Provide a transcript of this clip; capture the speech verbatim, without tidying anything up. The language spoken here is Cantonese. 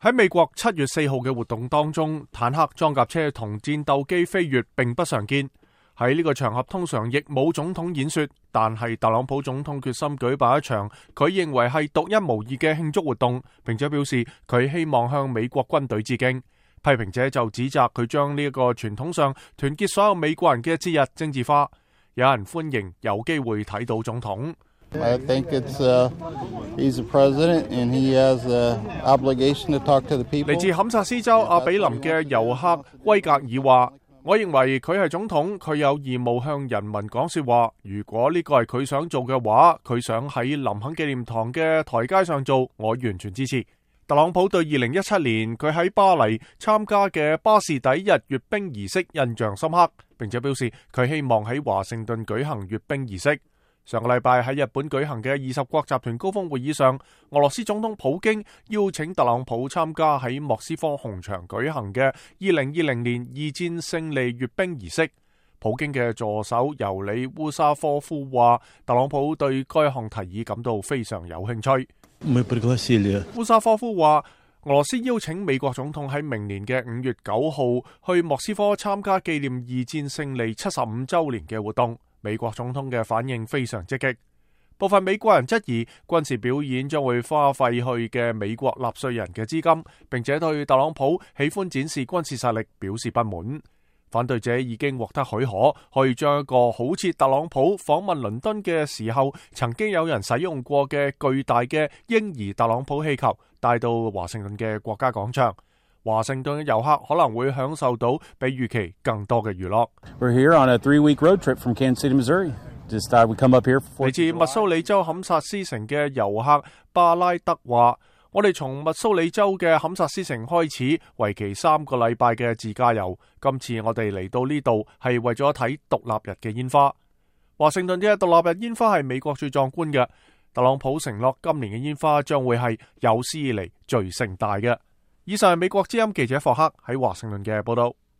喺美國七月四號嘅活動當中，坦克、裝甲車同戰鬥機飛越並不常見。喺呢個場合通常亦冇總統演說，但係特朗普總統決心舉辦一場佢認為係獨一無二嘅慶祝活動，並且表示佢希望向美國軍隊致敬。批評者就指責佢將呢一個傳統上團結所有美國人嘅節日政治化。有人歡迎有機會睇到總統。I think it's, uh, he's a president and he has an obligation to talk to the people. 嚟自堪薩斯州阿比林嘅遊客威格爾話：我認為佢係總統，佢有義務向人民講說話。如果呢個係佢想做嘅話，佢想喺林肯紀念堂嘅台階上做，我完全支持。特朗普對二零一七年佢喺巴黎參加嘅巴士底日閱兵儀式印象深刻，並且表示佢希望喺華盛頓舉行閱兵儀式。上個禮拜喺日本舉行嘅二十國集團高峰會議上，俄羅斯總統普京邀請特朗普參加喺莫斯科紅場舉行嘅二零二零年二戰勝利閱兵儀式。普京嘅助手尤里烏沙科夫話，特朗普對該項提議感到非常有興趣。烏沙科夫話，俄羅斯邀請美國總統喺明年嘅五月九號去莫斯科參加紀念二戰勝利七十五週年嘅活動。美國總統嘅反應非常積極，部分美國人質疑軍事表演將會花費去嘅美國納稅人嘅資金，並且對特朗普喜歡展示軍事實力表示不滿。反對者已經獲得許可，可以將一個好似特朗普訪問倫敦嘅時候曾經有人使用過嘅巨大嘅嬰兒特朗普氣球帶到華盛頓嘅國家廣場。華盛頓嘅遊客可能會享受到比預期更多嘅娛樂。We're here on a three-week road trip from Kansas City, Missouri. Just thought we'd come up here for... 嚟自密蘇里州堪薩斯城嘅遊客巴拉德話：我哋從密蘇里州嘅堪薩斯城開始，為期三個禮拜嘅自駕遊。今次我哋嚟到呢度係為咗睇獨立日嘅煙花。華盛頓嘅獨立日煙花係美國最壯觀嘅。特朗普承諾今年嘅煙花將會係有史以嚟最盛大嘅。以上係美國之音記者霍克喺華盛頓嘅報道。